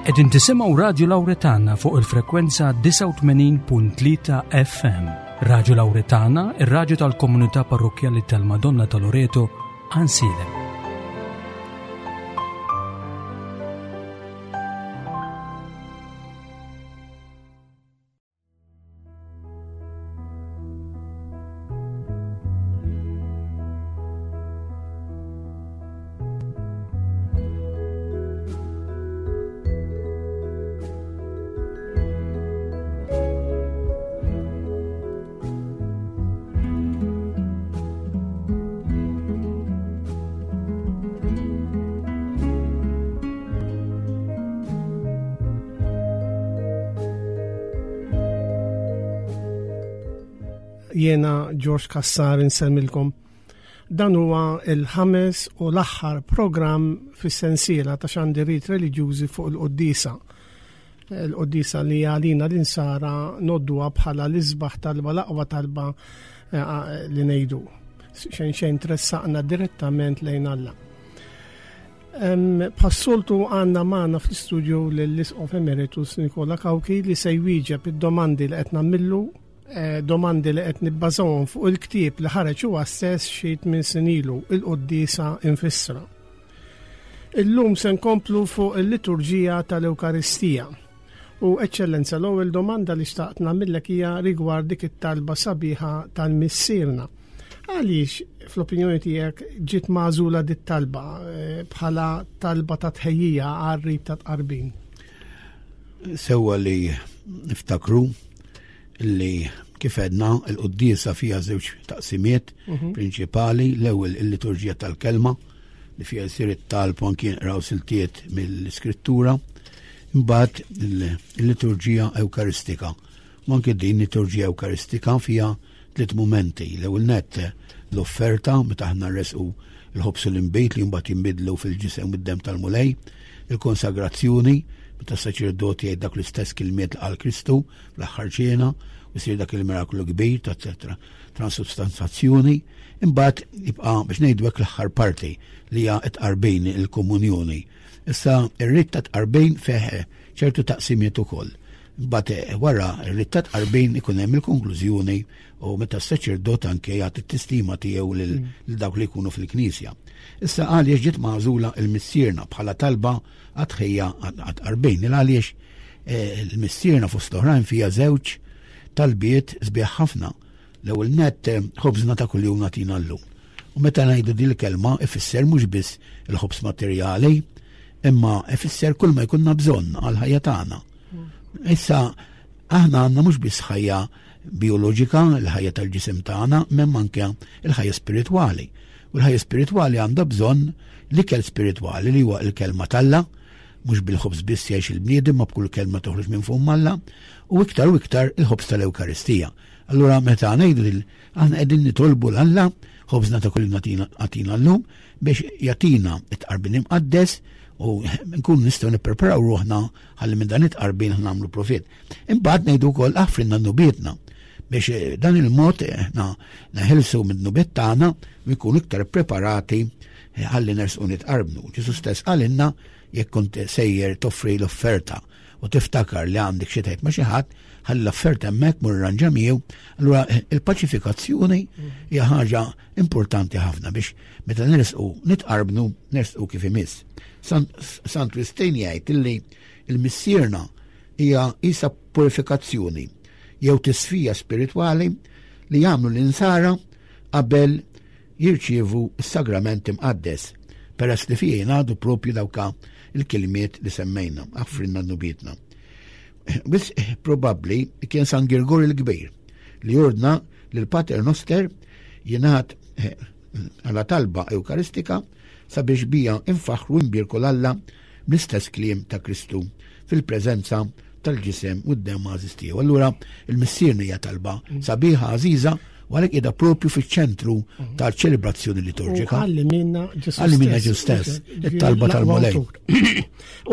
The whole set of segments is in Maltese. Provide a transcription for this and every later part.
Qegħdin tisimgħu Radju Lawretana fuq il-frekwenza 89.3 FM. Radju Lawretana, ir-radju tal-komunità parrokkjali tal-Madonna ta' Loreto, Ansilem. Jiena George Cassar insemmilkom. Dan huwa il-ħames u l-aħħar programm fis-sensiela ta' xandiriet reliġjużi fuq il-quddiesa. Il-quddiesa li għalina l-insara nodduha bħala l-isbaħ talba l-aqwa talba eh, li ngħidu. Xejn xejn tressaqna direttament lejn Alla. Bħas-soltu għandna magħna fl-istudio lill-Isqof Emeritus Nikola Cauchi li se jwieġeb id-domandi li qed nagħmillu, eh, domandi li qed nibbażawhom fuq il-ktieb li ħareġ huwa stess xi tmien snin ilu, il-Quddiesa Infissra. Illum se nkomplu fuq il-liturġija tal-Ewkaristija. U Eċċellenza, l-ewwel domanda li xtaqt nagħmillek hija rigward dik it-talba sabiħa tal-Missierna. Għaliex, fl-opinjoni tiegħek, ġiet magħżula dit talba eh, bħala talba ta' tħejjija għar-rit ta' tqarbin? Sewwa li niftakru li kif għedna il-quddiesa fiha żewġ taqsimiet mhm. prinċipali, l-ewwel il-liturġija tal-kelma li fiha jsir it-talb u anki jinqraw siltiet mill-iskrittura, imbagħad il-liturġija ewkaristika. U anki din liturġija ewkaristika fiha tliet mumenti. L-ewwel nett l-offerta meta aħna nresqu l-ħobż u l-inbid li mbagħad jinbidlu fil-ġisem u d-demm tal-Mulej, il-konsagrazzjoni meta s-saċerdoti jgħid dak l-istess kilmiet li qal Kristu fl-aħħar ċena u jsir dak il-miraklu kbir ta' transubstanzazzjoni, imbagħad jibqa' biex ngħidu hekk l-aħħar parti li hija t-tqarbin il-komunjoni. Issa ir-rit ta' tqarbin fih ċertu taqsimiet ukoll. Imbagħad eh, wara ir-rit ta' tqarbin ikun hemm il-konklużjoni u meta s-saċerdot anke jagħti t-tistima tiegħu lil mm. dawk li jkunu fil-knisja. Issa għaliex ġiet magħżula il-missierna bħala talba għat-tħejja għat-tqarbin. Il għaliex eh, il-missierna fost l-oħrajn fija żewġ talbiet sbieħ ħafna. L-ewwel nett eh, ħobżna ta' kuljum nagħtina llum. U meta ngħidu din il-kelma ifisser mhux biss il-ħobż materjali, imma ifisser kull ma jkunna bżonn għall-ħajja tagħna. Issa aħna għandna mhux biss ħajja bioloġika, il-ħajja tal-ġisem tagħna, m'hemm anke il-ħajja spiritwali. U l-ħajja spiritwali għandha bżonn l-ikel spiritwali li huwa l-kelma t'Alla, mhux bil-ħobż biss jgħix il-bniedem ma b'kull kelma toħroġ minn fomm Alla, u iktar u iktar il-ħobż tal-Ewkaristija. Allura meta ngħidu lil aħna qegħdin nitolbu l Alla ħobżna ta' kull għatina llum biex jagħtina it-tqarbin imqaddes u nkunu nistgħu nippreparaw ruħna ħalli minn dan it-tqarbin nagħmlu profitt. Imbagħad ngħidu wkoll aħfrilna nubietna biex eh, dan il-mod eh, neħilsu minn nubiet tagħna u jkunu iktar preparati eh, ħalli nersqu nitqarbnu. Ġesu stess qalilna jekk kont sejjer toffri l-offerta u tiftakar li għandek xi tgħid ma' xi ħadd, ħalli l-offerta hemmhekk mur irranġa miegħu. Allura il-paċifikazzjoni hija ħaġa importanti ħafna biex meta nersqu nitqarbnu nersqu kif imiss. Sant Wistin jgħid illi il-missierna hija isa purifikazzjoni jew tisfija spiritwali li jagħmlu l-insara qabel jirċievu s-sagrament imqaddes, peress li fih jingħadu propju dawka il-kilmiet li semmejna, aħfrilna dnubietna. Wisq probabbli kien San Girgor il-Kbir li ordna li l-Pater Noster jingħad eh, għala talba Ewkaristika sabiex bija infaħru nbierku l-Alla bl-istess kliem ta' Kristu fil-preżenza tal-ġisem u d-demm għażiż tiegħu. Allura il-Missierna hija talba mm. sabiħa għażiża u għalhekk qiegħda propju fiċ-ċentru mm. tal-ċelebrazzjoni liturġika. Għalli minna Ġesu Għalli minna Ġesu stess, it-talba tal-Mulej.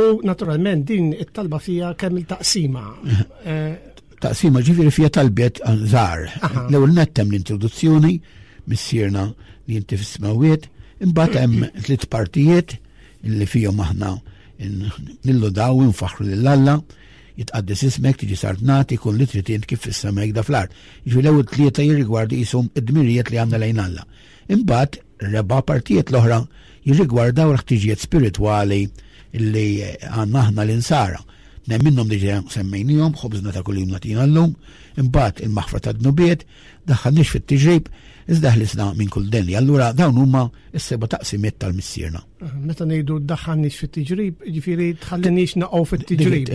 U naturalment din it-talba fija kemm il-taqsima. Eh, taqsima ġifieri fija talbiet żgħar. L-ewwel nettem l-introduzzjoni, missierna li inti fis-smawiet, imbagħad hemm tliet partijiet li fihom aħna Nillodaw nfaħħru lil Alla, jitqaddes ismek, tiġi saltnati, kun li trid int kif fis-sema hekk fl-art. Jiġifieri l-ewwel tlieta jirrigwardu qishom id-dmirijiet li għandna lejn Alla. Imbagħad reba' partijiet l-oħra jirrigwardaw l-ħtiġijiet spiritwali li għandna aħna l-insara. Tnejn minnhom diġà semmejnihom, ħobżna ta' kuljum nagħtina llum, imbagħad il-maħfra tad-dnubiet, daħħalniex fit-tiġrib, iżda ħlisna minn kull deni. Allura dawn huma s-seba' taqsimiet tal-Missierna. Meta ngħidu daħħalniex fit-tiġrib, jiġifieri tħalliniex naqgħu fit-tiġrib.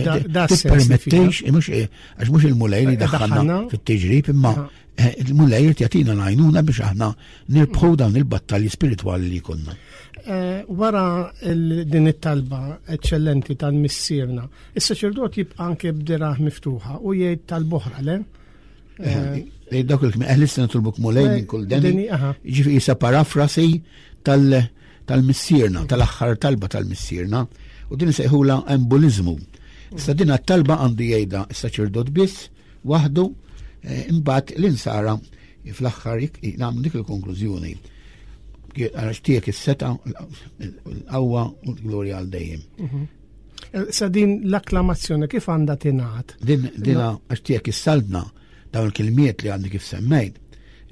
Tippermettix, mhux eh, għax mhux il-Mulej li daħħalna fit-tiġrib, imma eh, il-Mulej irid jagħtina l-għajnuna biex aħna nirbħu dawn il-battalji spiritwali li jkollna. Eh, wara din it-talba eċċellenti tal-missierna, is-saċerdot jibqa' anke b'diraħ miftuħa u jgħid tal-boħra, le? Eh, dawk il-kmi, eħlisna nitolbuk Mulej minn kull deni. Ġifieri isa parafrasi tal-missierna, tal-aħħar talba tal-missierna, u din sejħula embolizmu. Issa din talba għandu jgħidha s-saċerdot biss waħdu, eh, imbagħad l-insara fl-aħħar nagħmlu dik il-konklużjoni. Għax tiegħek is-seta, l-qawwa u l-glorja għal dejjem. Mhm. Eh, sa din l-akklamazzjoni kif għandha tingħad? Din dina għax tiegħek is-saltna dawn il-kilmiet li għandi kif semmejt,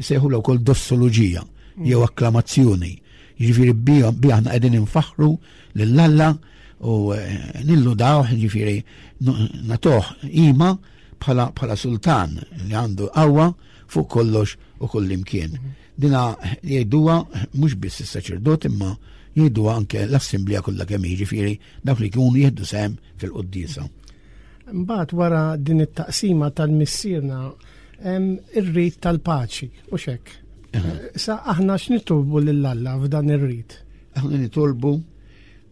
jsejħu l wkoll dossoloġija mm. jew akklamazzjoni. Jiġifieri bi aħna qegħdin infaħħru lil Alla u eh, nilludaw, jiġifieri nagħtuh ima bħala bħala sultan li għandu qawwa fuq kollox u kull imkien. Mm. Dina jgħiduha mhux biss is-saċerdot imma jgħiduha anke l-assemblea kollha kemm jiġifieri dawk li jkunu jieħdu sehem fil-quddiesa. Mbagħad wara din it-taqsima tal-missierna hemm ir-rit tal-paċi u xek. Sa aħna x'nitolbu lil Alla f'dan ir-rit? Aħna nitolbu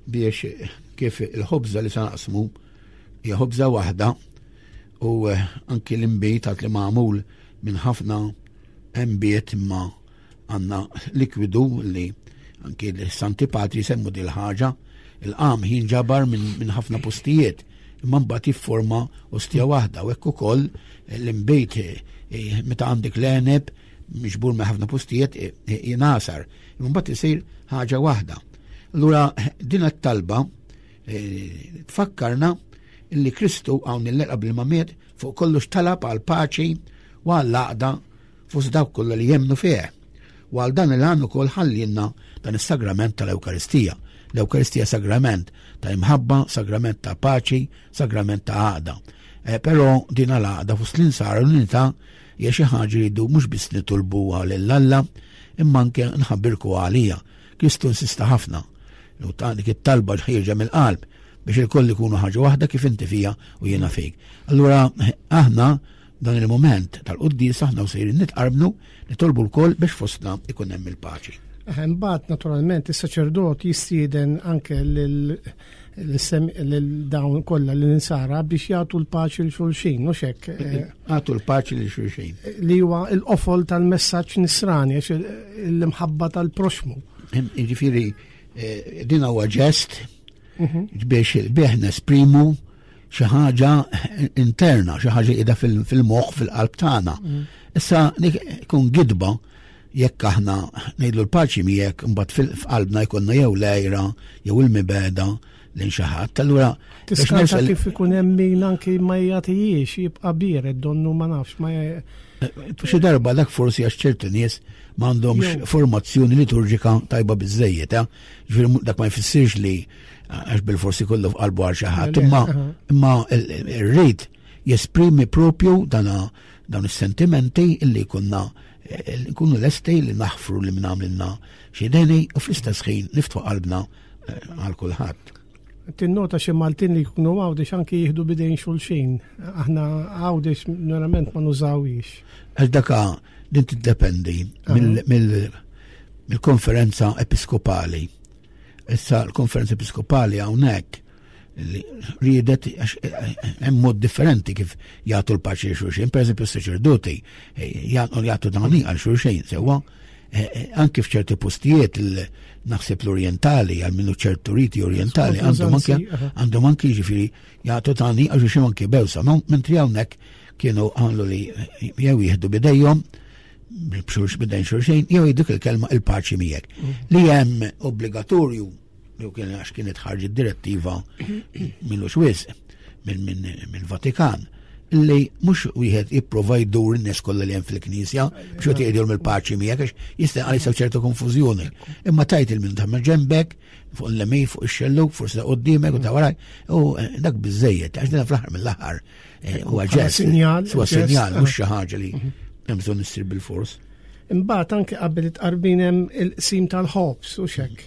biex kif il-ħobża li sa naqsmu hija ħobża waħda u eh, anki l-imbit għad li magħmul minn ħafna Nbiet imma għandna likwidu li anki l-Santi Patri semmu dil ħaġa il-qam jinġabar minn ħafna postijiet imma mbagħad jifforma ostja waħda u hekk ukoll l-imbejt eh, meta għandek l-għeneb miġbur minn ħafna postijiet eh, eh, jingħasar imma mbagħad isir ħaġa waħda. Allura din it-talba tfakkarna li Kristu hawn il-lejl qabel ma miet fuq kollox talab għal paċi u għall-għaqda fost dawk kollha li jemmnu fih. U għal dan il-għan ukoll ħallinna dan is-sagrament tal-Ewkaristija. L-Ewkaristija sagrament ta' imħabba, sagrament ta' paċi, sagrament ta' għaqda. Eh, però din għal-għaqda fost l-insara l-unità hija xi ħaġa li jridu mhux biss nitolbuha lil Alla, imma anke nħabbirku għalija. Kristu insista ħafna. U ta' dik it-talba ħierġa mill-qalb biex il-koll ikunu ħaġa waħda kif inti fija u jiena fik. Allura aħna dan il-moment tal-quddies aħna u sejrin nitqarbnu nitolbu l-koll biex fostna ikun hemm il-paċi. Imbagħad naturalment is-saċerdot jistieden anke lil dawn kollha l insara biex jagħtu l-paċi l xulxin, mhux hekk. Eh, jagħtu l-paċi lil xulxin. Li huwa l-qofol tal-messaġġ nisrani għax l-imħabba tal-proxmu. Jiġifieri eh, din huwa ġest mhm. biex bih nesprimu xi ħaġa interna, xi ħaġa qiegħda fil-moħħ fil-qalb tagħna. Mhm. Issa kun gidba jekk aħna ngħidlu l-paċi miegħek imbagħad f'qalbna jkollna jew l-għira jew il-mibeda lejn xi ħadd. Allura Tiskarta kif ikun hemm min anki ma jagħtijiex jibqa' biered donnu ma nafx ma eh, Xi darba dak forsi għax ċertu nies m'għandhomx formazzjoni liturġika tajba biżejjed, eh? Ġifieri dak ma jfissirx li għax bil-forsi kollu f'qalbu għal xi ħadd, imma imma r-rejt jesprimi propju dana dawn is-sentimenti illi kunna eh, nkunu lesti li naħfru li minn għamlilna xi deni u fl-istess ħin niftħu qalbna eh, għal kulħadd. Tinnota xi Maltin li jkunu Għawdex anki jieħdu bidejn xulxin. Aħna Għawdex verament ma nużawhiex. Għax daka din tiddependi mill-konferenza episkopali. Issa l-konferenza episkopali hawnhekk li riedet għax eh, eh, hemm mod differenti kif jagħtu l-paċi lil xulxin, pereżempju s-saċerdoti eh, jagħtu dani għal xulxin sewwa anke f'ċerti postijiet naħseb l-Orientali għal minnu ċertu riti Orientali għandhom anke għandhom anke jiġifieri jagħtu tani għal xulxin anke bewsa, mentri hawnhekk kienu għamlu li jew jieħdu bidejhom b'xulx bidejn xulxin jew jgħidu il-kelma il-paċi miegħek. Mm. Li hemm obbligatorju. jew kien għax kienet ħarġet direttiva minnu xwiz mill-Vatikan li mhux wieħed jipprova jdur in-nies kollha li hemm fil-knisja biex qed jgħidilhom il-paċi miegħek għax jista' għal ċertu konfużjoni. Imma tajt il-min ta' ġembek, fuq il-lemi, fuq ix-xelluk, forsi ta' qudiemek u ta' waraj, u eh, dak biżejjed, għax din fl-aħħar mill-aħħar eh, huwa ġest. Sinjal. Huwa sinjal, mhux xi ħaġa li mhm. hemm bżonn issir bil-fors. Imbagħad anke qabel it-tqarbin hemm il-qsim tal-ħobż u xek.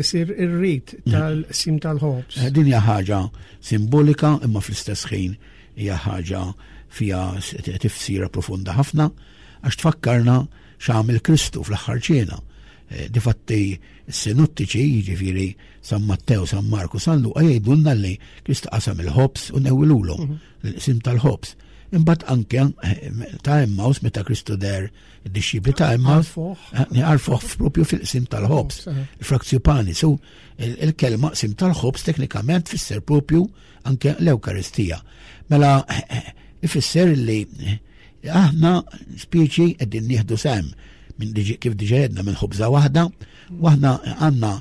Isir ir-rit tal-qsim tal-ħobż. Eh, din hija ħaġa simbolika imma fl-istess ħin hija ħaġa fiha tifsira profonda ħafna għax tfakkarna x'għamel Kristu fl-aħħar ċena. Eh, difatti s-sinottiċi, jiġifieri San Mattew, San Marku, San Luqa jgħidulna li Kristu qasam il-ħobż u newwilulhom mhm. l-qsim tal-ħobż. Imbagħad anke eh, ta' Emmaus meta Kristu der id-dixxipli ta' Emmaus eh, għarfuh propju fil-qsim tal-ħobż, eh. il-frazzju pani. So il-kelma qsim tal-ħobż teknikament tfisser propju anke l-Ewkaristija. Mela ifisser li aħna spieċi qegħdin nieħdu sem minn kif diġa jedna minn ħobża waħda u aħna għandna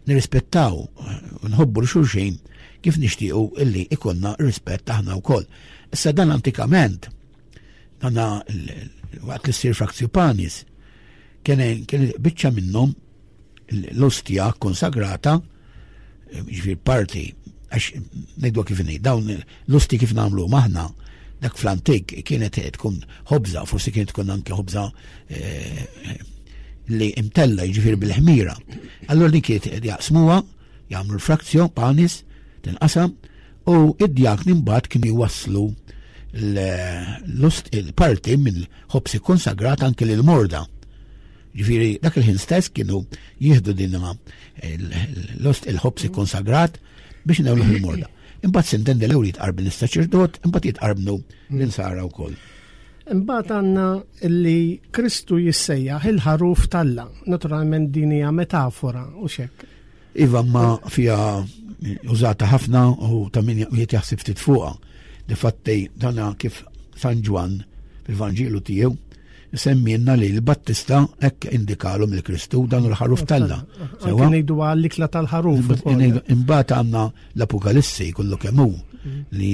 nirrispettaw u nħobbu l-xulxin kif nixtiequ illi ikonna rispett aħna wkoll. Issa dan antikament, dana waqt li ssir fraktio panis, kien biċċa minnhom l-ostja konsagrata, ġifier parti, għax ngħidu kif ngħid, dawn l-osti kif nagħmlu maħna, dak fl-antik kienet tkun ħobża, forsi kienet tkun anke ħobża eh, li imtella jiġifieri bil-ħmira. Allura din kienet jaqsmuha, jagħmlu l-frazzjo, panis, tinqasam, u id-djakni mbagħad kienu jwasslu l-parti minn ħobs konsagrat anke lil morda. Ġifieri dak il-ħin stess kienu jieħdu din l-ħobs konsagrat biex newlu il-morda. Imbagħad sintendi l-ewwel jitqarben is-saċerdot, imbagħad jitqarbnu l-insara wkoll. Imbagħad għandna li Kristu jissejjaħ il-ħaruf t'Alla. Naturalment din hija metafora u xek. Iva ma fija użata ħafna u ta' min wieħed jaħseb ftit fuqha. Difatti dana kif San Ġwann fil-Vanġelu tiegħu semmienna li l-Battista hekk indikalhom il-Kristu dan hu l-ħaruf t'Alla. Sewwa ngħidu għall-ikla tal-ħaruf. Imbagħad għandna l-Apokalissi kollu kemm hu mm. li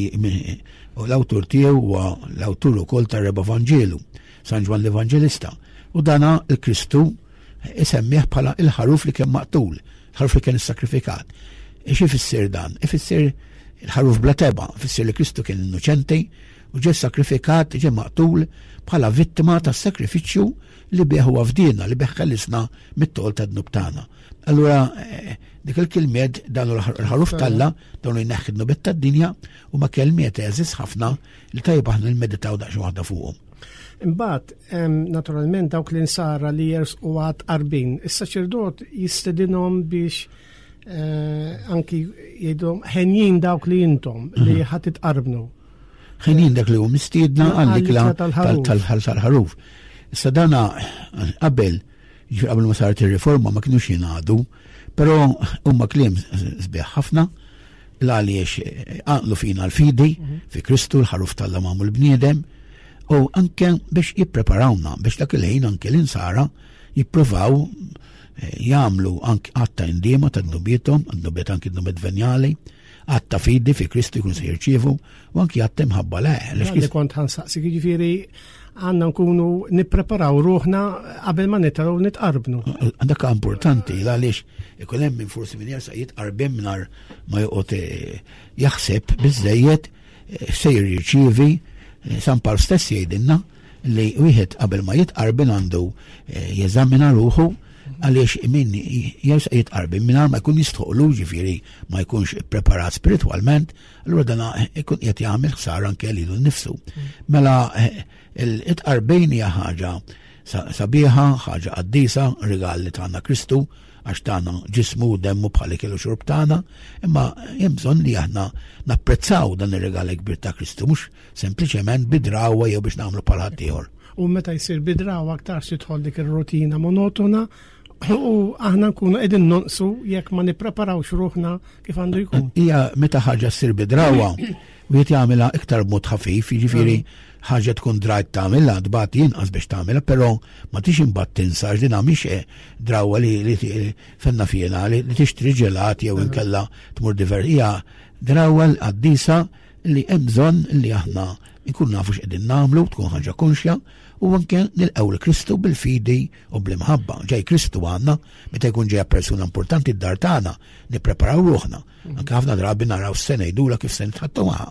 l-awtur tiegħu huwa l-awtur ukoll tar-Reba Vanġelu, San Ġwann l-Evanġelista. U dana il-Kristu isemmih bħala il-ħaruf li kien maqtul, il-ħaruf li kien issakrifikat. Ix ifisser dan? Ifisser il-ħaruf bla teba, ifisser li Kristu kien innoċenti u ġie sakrifikat, ġie maqtul bħala vittima tas-sakrifiċċju li bih huwa fdina, li bih ħelisna mit-tol ta' dnub tagħna. Allura eh, dik il-kelmiet dan il-ħaruf talla, dawn jneħħi dnubiet tad-dinja u ma kelmiet eżis ħafna li tajjeb aħna nmeditaw daqsxejn waħda fuqhom. Imbagħad, naturalment dawk l-insara li jersqu għad qarbin, is-saċerdot jistedinhom biex eh, anki jgħidhom ħenjin dawk li intom li mhm. ħadd itqarbnu. Ħenjin dak li hu mistiedna għall-ikla tal-ħaruf. Issa dana qabel, qabel ma saret ir-riforma ma kienux jingħadu, però huma kliem sbieħ ħafna l għaliex għanqlu fina l-fidi mhm. fi Kristu l-ħaruf tal magħmul bniedem u anke biex jippreparawna biex dak il-ħin anke l-insara jippruvaw eh, jagħmlu anke għatta indiema ta' dnubiethom, dnubiet anke dnubiet venjali, għatta fidi fi Kristu jkun se jirċievu u anki għatta imħabba le. Li kont ħansaqsi jiġifieri għandna nkunu nippreparaw ruħna qabel ma nitgħu nitqarbnu. Dak importanti għaliex ikun hemm min forsi min jersa jitqarben mingħajr ma joqgħod eh, jaħseb biżejjed eh, se jirċievi eh, San Pawl stess jgħidilna li wieħed qabel ma jitqarben għandu jeżamina ruħu għaliex min jersa jitqarben mingħajr ma jkun jistħoqlu ġifieri ma jkunx preparat spiritwalment, allura dana ikun qed jagħmel ħsara anke lilu nnifsu. Mela eh, il-tqarbin hija ħaġa sabiħa, ħaġa qaddisa, rigal li tagħna Kristu, għax tagħna ġismu u demmu bħal ikel u xorb tagħna, imma hemm bżonn li aħna napprezzaw dan ir-rigal kbir ta' Kristu, mhux sempliċement bidrawa jew biex nagħmlu bħal ħaddieħor. U meta jsir bidrawa aktar tidħol dik ir-rutina monotona U aħna nkunu qegħdin nonqsu jekk ma nippreparawx ruħna kif għandu jkun. Hija meta ħaġa ssir bidrawa, Wieħed jagħmilha iktar b'mod ħafif, jiġifieri ħaġa tkun drajt tagħmilha, tbati inqas biex tagħmilha, però ma tix imbagħad tinsa għax din mhix eh, drawwa li, li fenna fiena li, li tixtri ġelat jew inkella tmur diver. Hija drawwa l-qaddisa li hemm bżonn li aħna nkun nafu x'qegħdin nagħmlu, tkun ħaġa konxja u anke nilqgħu l Kristu bil-fidi u bl-imħabba. Ġej Kristu għandna, meta jkun ġejja persuna importanti d-dar tagħna, nippreparaw ruħna. Mhm. Anke ħafna drabi naraw se ngħidula kif se nitħattu magħha.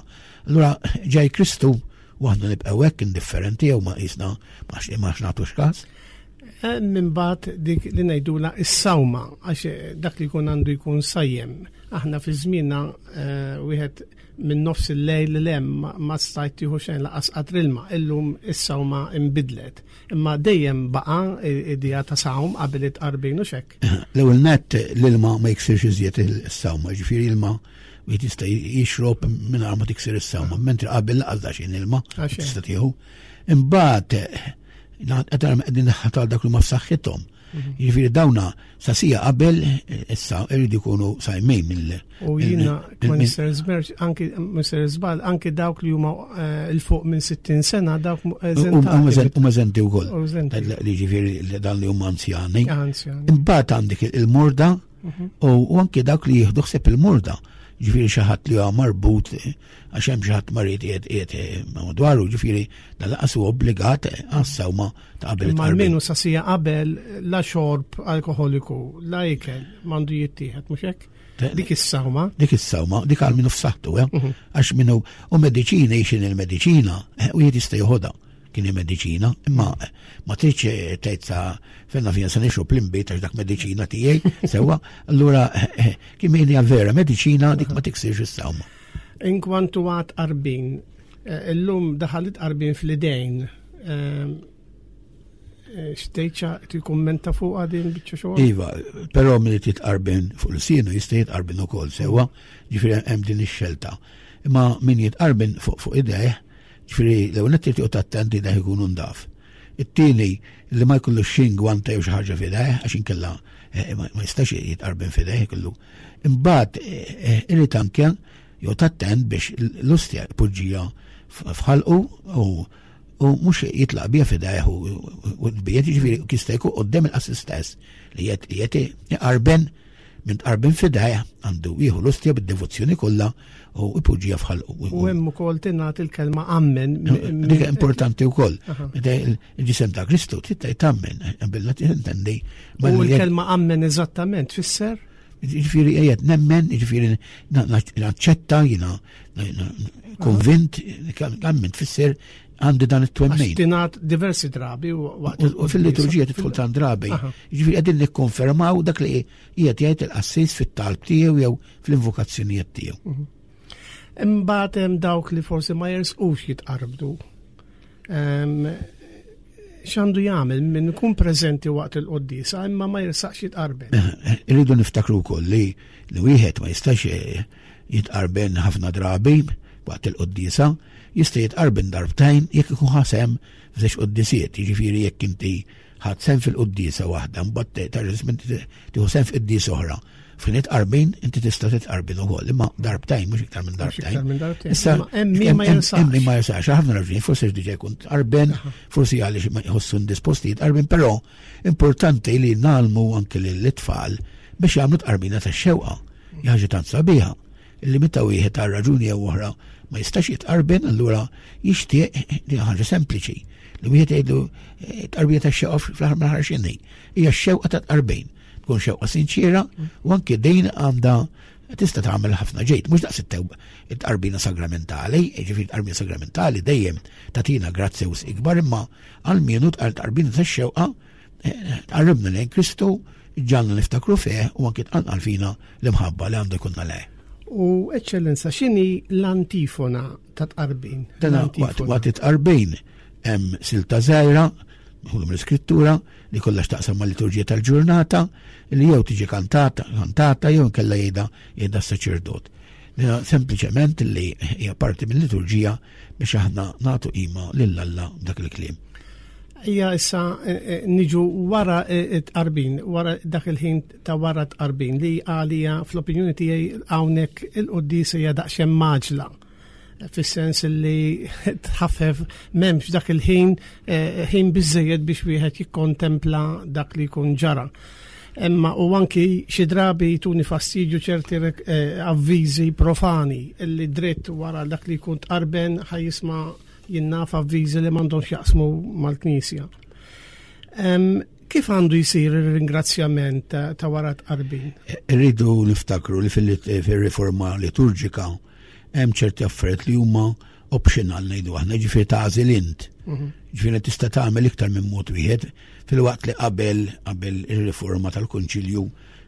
Allura ġej Kristu u aħna nibqgħu hekk indifferenti jew ma qisna ma nagħtux każ. Eh, minn bat dik li ngħidula is-sawma għax eh, dak li jkun għandu jkun sajjem. Aħna fi żmienna eh, wieħed minn nofs il-lejl l hemm ma stajt tieħu xejn laqas qatr ilma, illum is-sawma imbidlet. Imma dejjem baqa' idea ta' sawm qabel it-tqarbin u xekk. L-ewwel nett l-ilma ma jiksirx iżjed is-sawma, ġifieri ilma wieħed jista' jixrob mingħajr ma tiksir is-sawma, mentri qabel laqas daxin ilma tista' tieħu. Imbagħad qed qegħdin tal dak li ma f'saħħithom. Mhm. Jiġifieri dawna sa sija qabel issa irridu jkunu sajmin mill. U jiena Mr. Zmerġ, anki Mr. Zbal, anki dawk li huma eh, il fuq minn 60 sena dawk eżentati. Huma eżenti wkoll. Li ġifieri dan li huma anzjani. Imbagħad għandek il-morda mhm. u anki dawk li jieħdu ħsieb il-morda. Ġifieri xi ħadd li huwa marbut għax hemm xi ħadd marid qiegħed qiegħed madwaru, ġifieri dan laqas huwa obbligat għas-sawma ta' qabel. Imma almenu sa sija qabel la xorb alkoholiku, la ikel m'għandu jittieħed mhux hekk? Dik is-sawma. Dik is-sawma, dik għal minnu f'saħħtu, eh? Mhm. Għax minnu u mediċina jixin il-mediċina, eh, u jrid jista' joħodha kien mediċina, imma eh, ma tridx tgħid sa fenna fija se nixrob l-inbid għax dak mediċina tiegħi, sewwa, allura kien hija vera mediċina dik ma tiksirx is-sawma. Inkwantu għad qarbin, eh, illum daħalit qarbin fl-idejn. Eh, eh, Xtejċa tikkummenta fuq din biċċa xogħol? Iva, però min irid jitqarbin fuq l-sienu jista' jitqarbin ukoll sewwa, ġifieri hemm din ix-xelta. Imma min jitqarbin fuq fuq idejh, ġifieri l-ewwel nett irid joqgħod attent idejh ikunu ndaf. It-tieni li ma jkollux xi ngwanta jew xi ħaġa f'idejh għax inkella ma jistax jitqarbin f'idejh ikollu Imbagħad eh, eh, irid anke jew tattent biex l-ustja jpoġġija f'ħalqu u u mhux jitlaq bija fidejh u tbiet jiġifieri jista' jkun quddiem il-qassis stess li qed iqarben minn tqarben fidejh għandu jieħu l-ustja bid-devozzjoni kollha u ipoġġija f'ħalqu. U hemm ukoll tingħat il-kelma ammen. Dik importanti wkoll. Meta il-ġisem ta' Kristu trid tgħid ammen, bilna tintendi. U l-kelma ammen eżattament tfisser? Ġifieri qiegħed nemmen, ġifieri naċċetta jiena konvint, ammen tfisser għandi dan it-twemmin. Tingħad diversi drabi waqt. U fil-liturġija tidħol tant drabi. Ġifieri qegħdin nikkonfermaw dak li qiegħed jgħid il-qassis fit-talb tiegħu jew fl-invokazzjonijiet tiegħu. Mhm. Imbagħad hemm dawk li forsi ma jersqux jitqarbdu. X'għandu jagħmel minn ikun preżenti waqt il-quddiesa imma ma jirsaqx jitqarben. Eh, irridu niftakru wkoll li li wieħed ma jistax eh, jitqarben ħafna drabi waqt il-quddiesa, jista' jitqarben darbtejn jekk ikun ħasem f'żewġ quddisiet, jiġifieri jekk inti Ħadt sehem fil-quddiesa waħda, mbagħad terġa' tieħu sehem f'quddiesa oħra. F'ħin itqarbin, inti tista' titqarbin ukoll, imma darbtejn mhux iktar minn darbtejn. Issa hemm min ma jersax. Hemm min ma jersax, ħafna raġuni, forsi diġà jkun tqarben, forsi għaliex ma jħossu indisposti jitqarbin, però importanti li nagħlmu anke lill-itfal biex jagħmlu tqarbina tax-xewqa. Ħaġa tant sabiħa. li meta wieħed għal raġuni jew oħra ma jistax jitqarben allura jixtieq li ħaġa sempliċi li wieħed jgħidlu eh, tqarbija ta' xewqa fl-aħħar mill-aħħar x'inhi. Hija x-xewqa ta' tqarbin. Tkun xewqa sinċiera u anke din għandha tista' tagħmel ħafna ġejt, mhux daqs it-tqarbina sagramentali, jiġifieri tqarbina sagramentali dejjem tagħtina grazzja ikbar imma għal-mienu tqarbina tax-xewqa Tqarribna lejn Kristu, ġalna niftakru fih u anki tqanqal fina l-imħabba li għandu jkunna lejh. U eċċellenza, x'inhi l-antifona ta' tqarbin? Waqt it-tqarbin hemm silta żgħira, nħulu mill-iskrittura, li kollha x'taqsam mal-liturġija tal-ġurnata, li jew tiġi kantata, kantata jew inkella jgħidha jgħidha s-saċerdot. Sempliċement li hija parti mill-liturġija biex aħna nagħtu qima lil Alla dak il-kliem. Ija issa eh, eh, niġu wara eh, tqarbin, wara dak il-ħin ta' wara tqarbin li għalija fl-opinjoni tiegħi hawnhekk il-quddiesa hija daqsxejn maġla. Fis-sens li tħaffef m'hemmx dak il-ħin eh, ħin biżejjed biex wieħed jikkontempla dak li jkun ġara. Imma u anki xi drabi jtuni fastidju ċerti eh, avviżi profani li dritt wara dak li jkun tqarben ħaj jisma' jinnaf avviżi li m'għandhomx jaqsmu mal-Knisja. Kif għandu jsir ir-ringrazzjament ta' wara tqarbin? Irridu niftakru li fil-riforma liturġika hemm ċerti affarijiet li huma optional ngħidu aħna, ġifieri tagħżel int. Mhm. Ġifieri tista' tagħmel iktar minn mod wieħed filwaqt li qabel qabel ir-riforma tal-Kunċilju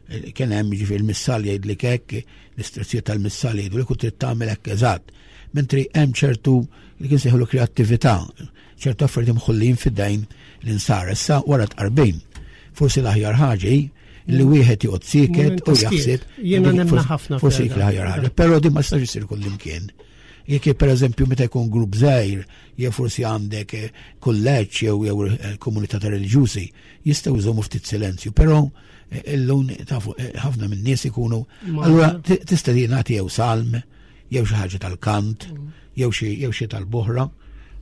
eh, kien hemm ġifieri l-missal jgħidlek hekk, l-istruzzjoni tal-missal jgħidu li trid tagħmel hekk eżatt. Mentri hemm ċertu li kien seħlu kreattività, ċertu affarijiet imħullin fid-dajn l-insar. Issa wara tqarbin, forsi l-aħjar ħaġa li wieħed joqgħod sieket u jaħseb. Jiena nemmen ħafna. Forsi l-aħjar ħaġa, però din ma tistax isir kullimkien. Jekk pereżempju meta jkun grupp żgħir, jew forsi għandek eh, kulleġġ jew jew eh, komunità ta' reliġjużi, jistgħu jżommu ftit silenzju, però eh, illum tafu ħafna minn nies ikunu. Allura tista' nagħti jew salm, jew xi ħaġa tal-kant, mm. jew xi jew xi tal-boħra.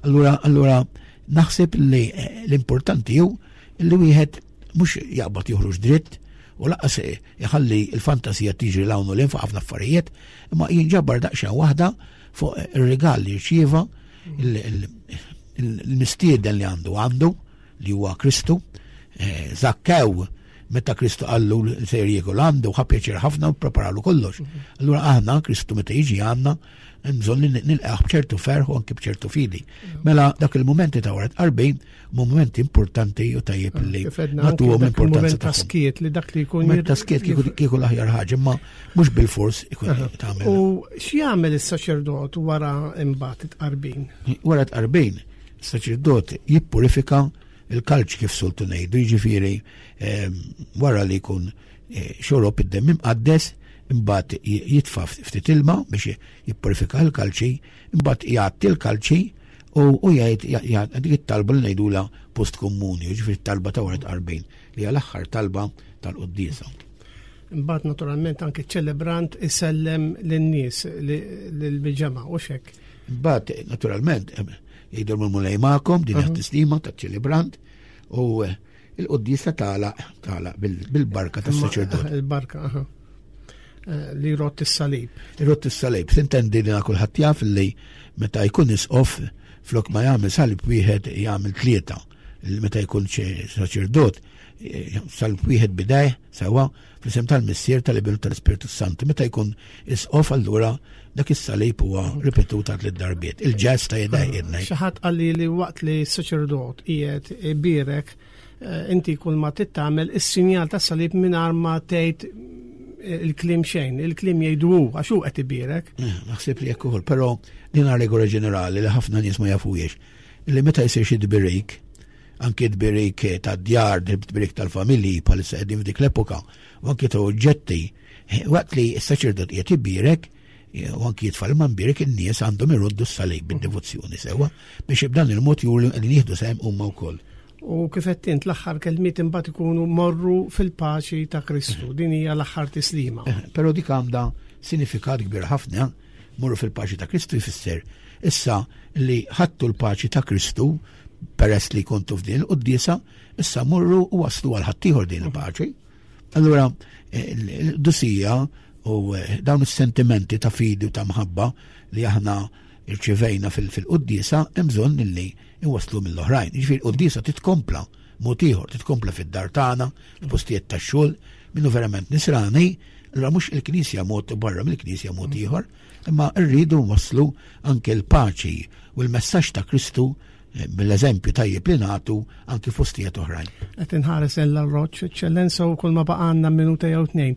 Allura allura naħseb li l-importanti hu li wieħed mhux jaqbad joħroġ dritt u laqas iħalli l-fantasija tiġri l hawn u l fuq ħafna affarijiet, imma jinġabar daqsxejn waħda fuq ir-rigal li rċieva il-mistieden li għandu għandu li huwa Kristu, eh, Zakkew meta Kristu qallu li sejr jiekol għandu ħa pjaċir ħafna u preparalu kollox. Mhm. Allura aħna Kristu meta jiġi għandna bżonn li nilqgħu b'ċertu ferħ u anke b'ċertu fidi. Mhm. Mela dak il-mumenti ta' wara tqarbin momenti importanti u tajjeb ah, li nagħtuhom importanza ta' skiet li dak li jkun. Moment ta' skiet kieku l-aħjar ħaġa, imma mhux bil-fors ikun tagħmel. U x'jagħmel is-saċerdot wara imbagħad it-tqarbin? Wara tqarbin, is-saċerdot jippurifika il-kalċ kif soltu ngħidu, jiġifieri ehm, wara li jkun eh, xorob id-demm imqaddes, imbagħad jitfa' ftit ilma biex jippurifika l-kalċi, imbagħad jgħatti l-kalċi U jgħid dik it-talba li ngħidula post komuni, ġifieri talba ta' wara tqarbin, li hija l-aħħar talba tal-quddiesa. Imbagħad naturalment anke ċelebrant isellem lin-nies lill-ġemgħa u xek. Imbagħad naturalment jgħidu l-mulej magħkom din hija tislima taċ-ċelebrant u eh, il-quddiesa tagħlaq tagħlaq bil-barka tas-saċerdot. Il-barka, aha. Eh, li rott is-salib. Rott is-salib. Tintendi li kulħadd jaf li meta jkun isqof flok ma jagħmel salib wieħed jagħmel tlieta. Meta jkun saċerdot, eh, salib wieħed bidej sewa fl-isem tal-Missier tal-Ibn tal-Ispirtu Santu. Meta jkun isqof allura dak is-salib huwa ripetut għal tliet darbiet. Il-ġest ta' jedaj ah, Xi ħadd qalli li waqt li s-saċerdot qiegħed ibierek Eh, inti kull ma tittamel is-sinjal tas salib mingħajr ma tgħid eh, il-klim xejn, il-klim jgħidu hu għax hu qed ibierek. Eh, naħseb li jekk ukoll, però din regola ġenerali li ħafna nies ma jafuhiex. Li meta jsir xi tbirik, anke tbirik ta' djar, tbirik tal-familji bħalissa qegħdin f'dik l-epoka, u anke ta' oġġetti, waqt li s-saċerdot qiegħed ibierek, u anki jitfal ma mbierek in-nies għandhom iruddu s-salib bid-devozzjoni sewa biex b'dan il-mod juru li jieħdu sehem huma wkoll. U kif qed int l-aħħar kelmiet imbagħad ikunu morru fil-paċi ta' Kristu. Din hija l-aħħar tislima. Eh, però dik għandha sinifikat kbir ħafna, morru fil-paċi ta' Kristu jfisser issa li ħadtu l-paċi ta' Kristu peress li kontu f'din il-quddiesa, issa morru u waslu għal ħaddieħor din il-paċi. Allura, eh, l-dusija u eh, dawn is-sentimenti ta' fidi u ta' mħabba li aħna irċivejna fil-quddiesa hemm bżonn li iwasslu mill-oħrajn. Jiġifieri l-quddiesa titkompla mod ieħor, titkompla fid-dar tagħna, fil-postijiet tax-xogħol, minnu verament nisrani, allura mhux il-Knisja mod barra mill-Knisja mod ieħor, imma rridu nwasslu anke l-paċi u l-messaġġ ta' Kristu mill-eżempju tajjeb li nagħtu anki fostijiet oħrajn. Qed inħares l roċ, eċċellenza u kull ma baqgħanna minuta jew tnejn.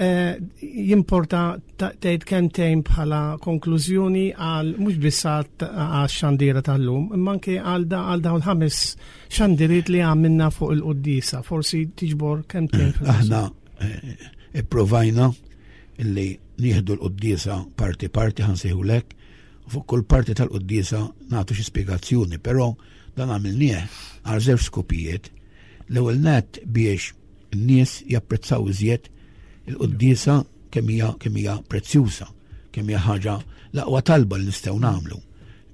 Eh, jimporta tgħid kemmtejn bħala konklużjoni għal mhux biss għax-xandira tal-lum, imma anke għal dawn ħames xandiriet li għamilna fuq il-quddisa, forsi tiġbor kemmtejn. Aħna eh, ipprovajna illi nieħdu l-quddisa parti parti ħansejħulek u fuq kull parti tal-quddiesa nagħtu xi spjegazzjoni, però dan għamilnieh għal żewġ skopijiet. L-ewwel nett biex n-nies japprezzaw iżjed il-quddiesa kemm hija kemm hija prezzjuża. Kemm hija ħaġa l-aqwa talba li nistgħu nagħmlu.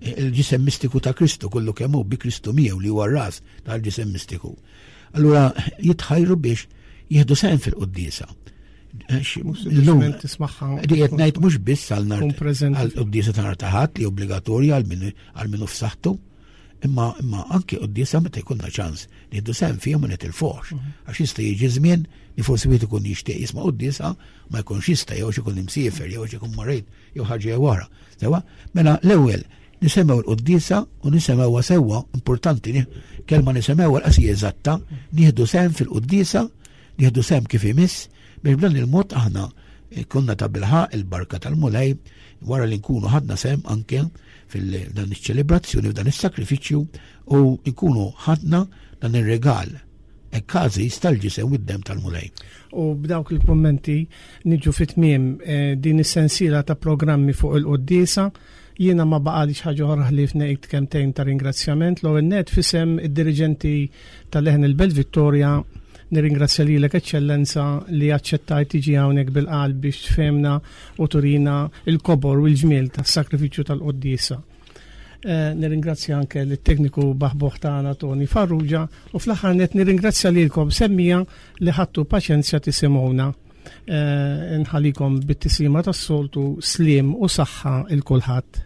Il-ġisem mistiku ta' Kristu kollu kemm hu bi Kristu miegħu li huwa r-ras tal-ġisem mistiku. Allura jitħajru biex jieħdu sehem fil-quddiesa. Illum tismagħha. Di qed ngħid mhux biss għal nhar għall-quddiesa ta' nhar ta' Ħadd li obbligatorja għal min hu f'saħħtu, imma imma anke quddiesa meta jkollna ċans nieħdu sehem fihom ma nitilfuhx. Għax jista' jiġi żmien li forsi wieħed ikun jixtieq jisma' quddiesa ma jkunx jista' jew ikun imsiefer jew ikun marid jew ħaġa jew oħra. Sewa, mela l-ewwel nisemgħu l-quddiesa u nisemgħuha sewwa, importanti kelma nisemgħuha l-qasija eżatta, nieħdu sehem fil-quddiesa, nieħdu sehem kif imiss, biex b'dan il-mod aħna konna ta' bilħaq il-barka tal-Mulej wara li nkunu ħadna sehem anke fil-dan iċ-ċelebrazzjoni f'dan is-sakrifiċċju u nkunu ħadna dan ir-regal hekk għażiż tal-ġisem u d-demm tal-Mulej. U b'dawk il-kummenti niġu fi tmiem eh, din is-sensiela ta' programmi fuq il-quddiesa. Jiena ma baqalix ħaġa oħra ħlief ngħid kemtejn ta' ringrazzjament l-ewwel net fisem id-diriġenti tal-Leħen il-Belt Vittoria nirringrazzja lilek Eċċellenza li aċċettajt tiġi hawnhekk bil-qalb biex tfehmna u turina il-kobor u l-ġmiel tas-sakrifiċċju tal-quddiesa. Eh, nirringrazzja anke lit-tekniku baħboħ tagħna Tony Farrugia u fl-aħħar net nirringrazzja lilkom semmija li ħadtu paċenzja tisimgħuna. Eh, nħallikom bit-tislima tas-soltu sliem u saħħa il kulħadd.